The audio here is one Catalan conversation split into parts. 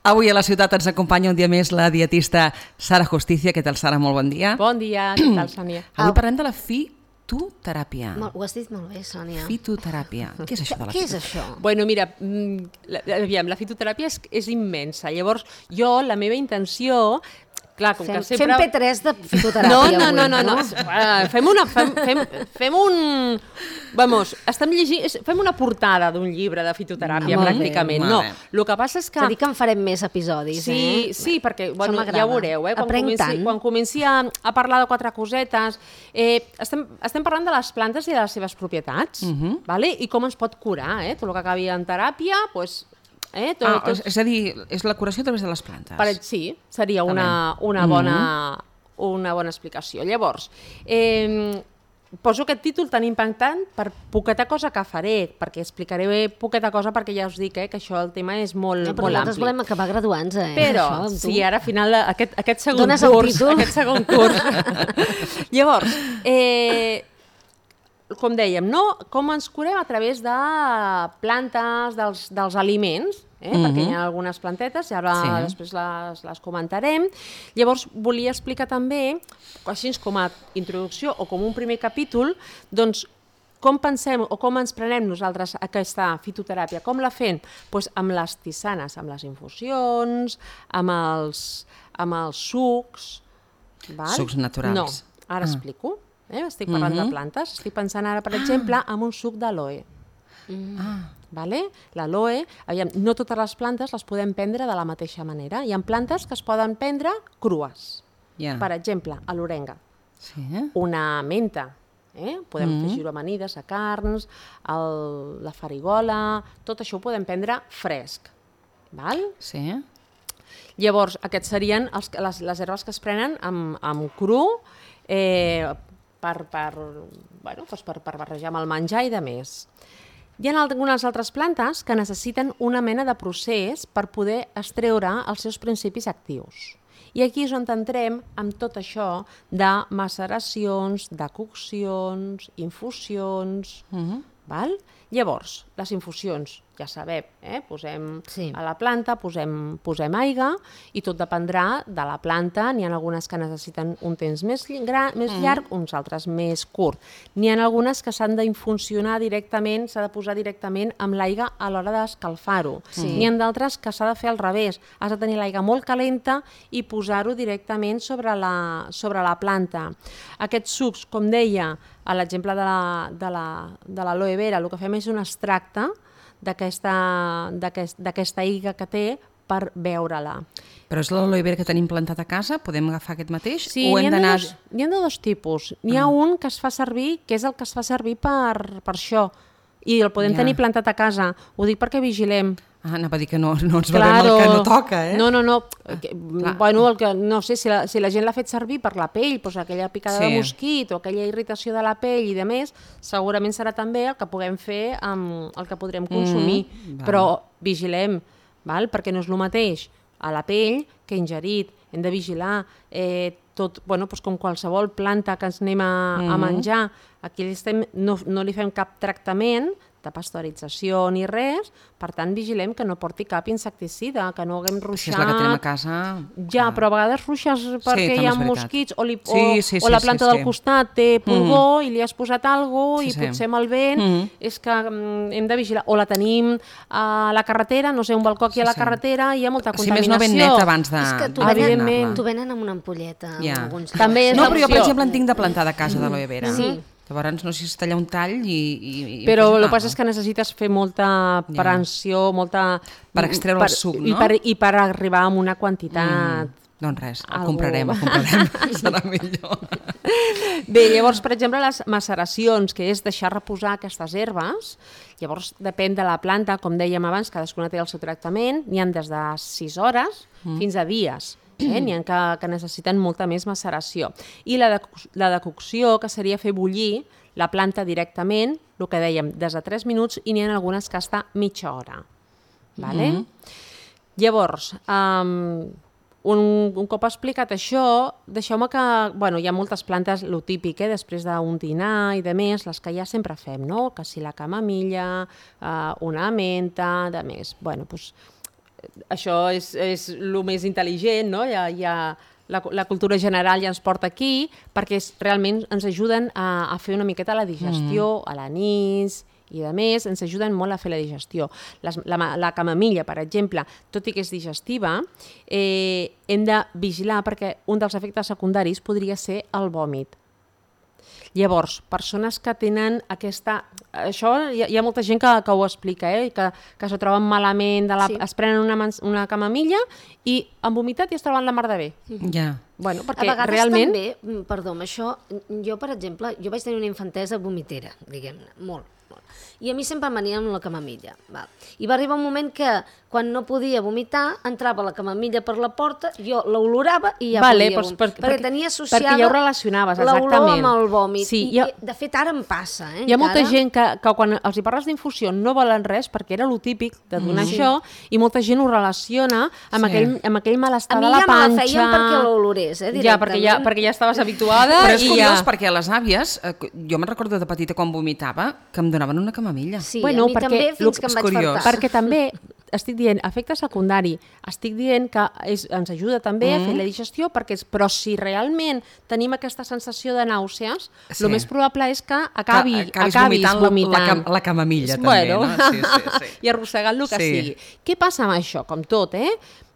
Avui a la ciutat ens acompanya un dia més la dietista Sara Justicia. Què tal, Sara? Molt bon dia. Bon dia, què tal, Sònia? Avui parlem de la fitoteràpia. Ho has dit molt bé, Sònia. Fitoteràpia. Què és això de la Què és fitoteràpia? això? Bueno, mira, aviam, la fitoteràpia és immensa. Llavors, jo, la meva intenció... Clar, com que sempre... Fem P3 de fitoteràpia avui, no. Fem un... Vamos, estem llegint... Fem una portada d'un llibre de fitoteràpia, pràcticament. No, el que passa és que... És a dir que en farem més episodis, Sí, perquè, bueno, ja ho veureu, quan comenci a parlar de 4 cosetes, estem parlant de les plantes i de les seves propietats, i com ens pot curar, tot el que acabi en teràpia, doncs... És a dir, és la curació a través de les plantes. Sí, seria una bona explicació. Llavors, poso aquest títol tan impactant per poqueta cosa que faré, perquè explicaré poqueta cosa perquè ja us dic que això el tema és molt ampli. Però nosaltres volem acabar graduants, Però, sí, ara al final, aquest segon curs. Llavors, com dèiem, com ens curem a través de plantes, dels aliments, perquè hi ha algunes plantetes i ara després les comentarem. Llavors, volia explicar també, així com a introducció o com un primer capítol, doncs com pensem o com ens prenem nosaltres aquesta fitoteràpia. Com la fem? Doncs amb les tisanes, amb les infusions, amb els sucs. Sucs naturals. No, ara explico. Estic parlant de plantes. Estic pensant ara, per exemple, en un suc d'aloe. L'aloe, no totes les plantes les podem prendre de la mateixa manera. Hi ha plantes que es poden prendre crues. Per exemple, a l'orenga. Una menta. Podem afegir-ho amanides, a carns, la farigola, tot això ho podem prendre fresc. Llavors, aquests serien les herbes que es prenen amb cru, per barrejar amb el menjar i de més. Hi ha algunes altres plantes que necessiten una mena de procés per poder extreure els seus principis actius. I aquí és on entrem amb tot això de maceracions, de coccions, infusions... Llavors, les infusions, ja sabem, posem a la planta, posem aigua i tot dependrà de la planta. N'hi ha algunes que necessiten un temps més llarg, uns altres més curt. N'hi ha algunes que s'han d'infuncionar directament, s'ha de posar directament amb l'aigua a l'hora d'escalfar-ho. N'hi ha d'altres que s'ha de fer al revés. Has de tenir l'aigua molt calenta i posar-ho directament sobre la planta. Aquests sucs, com deia, a l'exemple de l'aloe vera, el que fem és un extracte d'aquesta aigua que té per beure-la. Però és l'aloe vera que tenim plantat a casa? Podem agafar aquest mateix? Sí, n'hi ha de dos tipus. N'hi ha un que es fa servir, que és el que es fa servir per això, i el podem tenir plantat a casa. Ho dic perquè vigilem. Anava a dir que no ens bevem el que no toca, No. Bueno, no sé, si la gent l'ha fet servir per la pell, doncs aquella picada de mosquit o aquella irritació de la pell i de més, segurament serà també el que puguem fer amb el que podrem consumir. Però vigilem, perquè no és el mateix a la pell que ingerit. Hem de vigilar com qualsevol planta que ens anem a menjar. Aquí no li fem cap tractament de pasteurització ni res, per tant vigilem que no porti cap insecticida, que no haguem ruixat... Si és la que tenim a casa... Ja, però a vegades ruixes perquè hi ha mosquits o la planta del costat té pulgó i li has posat alguna cosa i potser amb el vent és que hem de vigilar. O la tenim a la carretera, no sé, un balcó aquí a la carretera i hi ha molta contaminació. Si més no ben net abans de... És que t'ho venen amb una ampolleta. No, però jo, per exemple, en tinc de plantada a casa d'aloe vera. Sí. Llavors, no sé si es talla un tall i... Però el que passa és que necessites fer molta prevenció, molta... Per extreure el suc, no? I per arribar a una quantitat... Doncs res, el comprarem, serà millor. Bé, llavors, per exemple, les maceracions, que és deixar reposar aquestes herbes, llavors depèn de la planta, com dèiem abans, cadascuna té el seu tractament, n'hi ha des de 6 hores fins a dies. N'hi ha que necessiten molta més maceració. I la decocció, que seria fer bullir la planta directament, el que dèiem, des de 3 minuts, i n'hi ha algunes que està mitja hora. Llavors, un cop explicat això, deixeu-me que... Hi ha moltes plantes, el típic, després d'un dinar i de més, les que ja sempre fem, no? Que si la camamilla, una menta, de més. això és el més intel·ligent, no? La cultura general ja ens porta aquí, perquè realment ens ajuden a fer una miqueta la digestió, a l'anís i a més ens ajuden molt a fer la digestió. La camamilla, per exemple, tot i que és digestiva, hem de vigilar perquè un dels efectes secundaris podria ser el vòmit. Llavors, persones que tenen aquesta... Això hi ha molta gent que ho explica, que s'ho troben malament, es prenen una camamilla i han vomitat i es troben la mar de bé. Ja. Bueno, perquè a vegades realment... també, perdó, amb això, jo, per exemple, jo vaig tenir una infantesa vomitera, diguem-ne, molt. I a mi sempre em venia amb la camamilla. Val. I va arribar un moment que, quan no podia vomitar, entrava la camamilla per la porta, jo l'olorava i ja podia vomitar. Perquè tenia associada perquè ja ho relacionaves, l'olor amb el vòmit. Sí, I, de fet, ara em passa. Hi ha molta gent que quan els hi parles d'infusió no volen res, perquè era lo típic de donar això, i molta gent ho relaciona amb aquell malestar de la panxa. A mi ja me la feien perquè l'olorés, directament. Ja, perquè ja estaves habituada. Però és curiós, perquè a les àvies, jo me'n recordo de petita quan vomitava, que em donaven una camamilla. Sí, bueno, a mi també, fins que em vaig fartar. Perquè també, estic dient, efecte secundari, estic dient que ens ajuda també a fer la digestió, però si realment tenim aquesta sensació de nàusees, el més probable és que acabis vomitant. La camamilla, també, no? Sí. I arrossegant el que sigui. Què passa amb això? Com tot,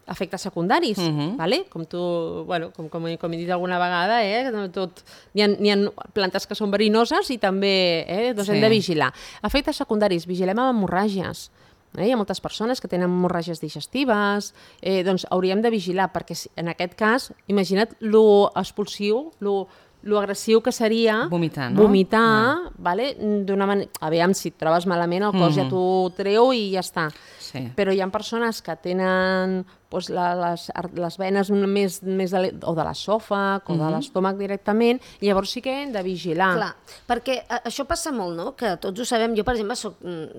efectes secundaris, vale? Com he dit alguna vegada, n'hi ha plantes que són verinoses i també hem de vigilar. Efectes secundaris, vigilem amb hemorràgies. Hi ha moltes persones que tenen hemorràgies digestives, doncs hauríem de vigilar, perquè en aquest cas, imagina't lo expulsiu, lo agressiu que seria vomitar, no? Vomitar, vale? D'una manera... Aviam, si et trobes malament, el cos ja t'ho treu i ja està. Sí. Però hi ha persones que tenen les venes més o de l'esòfag o de l'estómac directament, i llavors sí que hem de vigilar. Clar, perquè això passa molt, no? Que tots ho sabem. Jo, per exemple,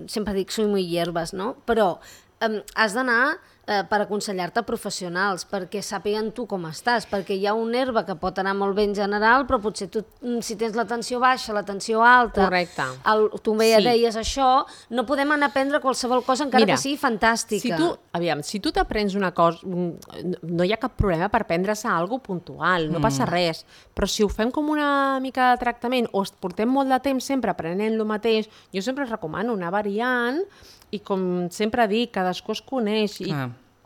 sempre dic soy muy hierbas, no? Però has d'anar per aconsellar-te professionals, perquè sàpiguen tu com estàs, perquè hi ha una herba que pot anar molt bé en general, però potser tu, si tens la tensió baixa, la tensió alta, correcte. Tu ja deies això, no podem anar a prendre qualsevol cosa, encara que sigui fantàstica. Si tu t'aprens una cosa, no hi ha cap problema per prendre-se alguna cosa puntual, no passa res, però si ho fem com una mica de tractament o portem molt de temps sempre aprenent el mateix, jo sempre recomano anar variant. I com sempre dic, cadascú es coneix i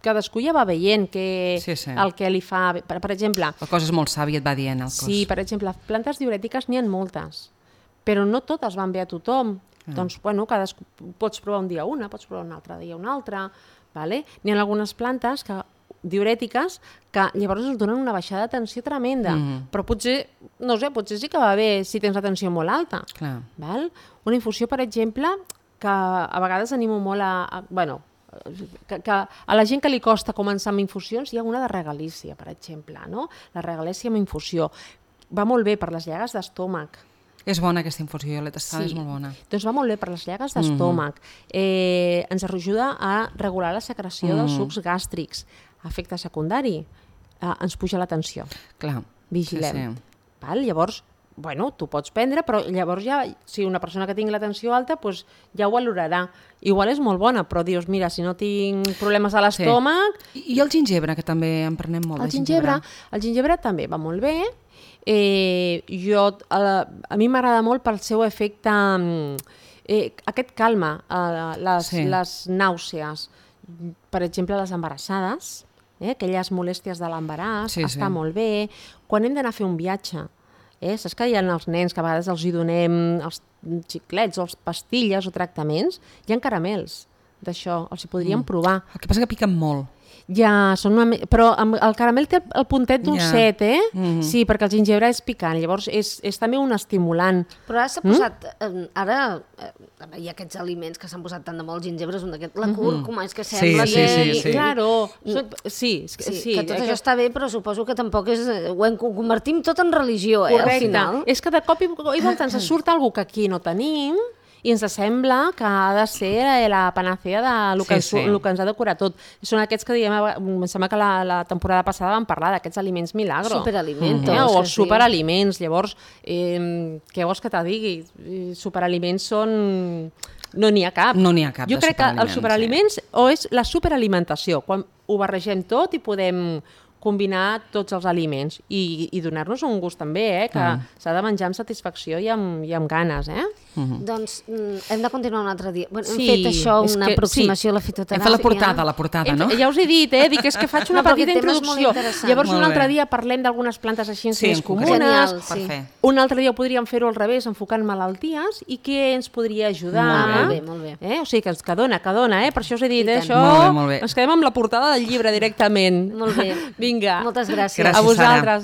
cadascú ja va veient el que li fa... Per exemple... La cosa és molt sàvia, et va dient el cos. Sí, per exemple, plantes diurètiques n'hi ha moltes, però no totes van bé a tothom. Doncs, bueno, cadascú pots provar un dia una, pots provar un altre dia una altra. N'hi ha algunes plantes diurètiques que llavors ens donen una baixada de tensió tremenda, però potser, no sé, potser sí que va bé si tens la tensió molt alta. Una infusió, per exemple, que a vegades animo molt que a la gent que li costa començar amb infusions, hi ha una de regalícia, per exemple, no? La regalícia amb infusió. Va molt bé per les llagues d'estómac. És bona aquesta infusió, jo l'he tastada, és molt bona. Doncs va molt bé per les llagues d'estómac. Ens ajuda a regular la secreció dels sucs gàstrics. Efecte secundari, ens puja la tensió. Clar. Vigilem. Llavors, bueno, tu pots prendre, però llavors ja, si una persona que tingui la tensió alta, doncs ja ho valorarà. Igual és molt bona, però dius, mira, si no tinc problemes a l'estómac... I el gingebre, que també en prenem molt, el gingebre també va molt bé. A mi m'agrada molt pel seu efecte... Aquest calma les nàusees. Per exemple, les embarassades, aquelles molèsties de l'embaràs, està molt bé. Quan hem d'anar a fer un viatge, saps que hi ha els nens que a vegades els hi donem els xiclets o els pastilles o tractaments? Hi ha caramels d'això, els hi podríem provar. El que passa que piquen molt. Ja, però el caramel té el puntet dolcet, Sí, perquè el gingebre és picant, llavors és també un estimulant. Però ara s'ha posat, hi ha aquests aliments que s'han posat tant de molt, el gingebre és un d'aquests, la cúrcuma, és que sembla que... Claro, sí, que tot això està bé, però suposo que tampoc és... Ho convertim tot en religió, al final. És que de cop i volta ens surt alguna que aquí no tenim, i ens sembla que ha de ser la panacea del que ens ha de curar tot. Són aquests que diem, em sembla que la temporada passada vam parlar d'aquests aliments milagro. Superaliments. O els superaliments. Llavors, què vols que te digui? Superaliments són... No n'hi ha cap. No n'hi ha cap jo crec que els superaliments o és la superalimentació, quan ho barregem tot i podem combinar tots els aliments i donar-nos un gust també, que s'ha de menjar amb satisfacció i amb ganes. Doncs hem de continuar un altre dia. Hem fet això, una aproximació a la fitoteràpia. Hem fet la portada, no? Ja us he dit, dic, és que faig una petita introducció. Llavors un altre dia parlem d'algunes plantes així més comunes. Un altre dia podríem fer-ho al revés, enfocant malalties i què ens podria ajudar. Molt bé. O sigui, que dona, per això us he dit, això ens quedem amb la portada del llibre directament. Molt bé. Vinga. Moltes gràcies. A vosaltres.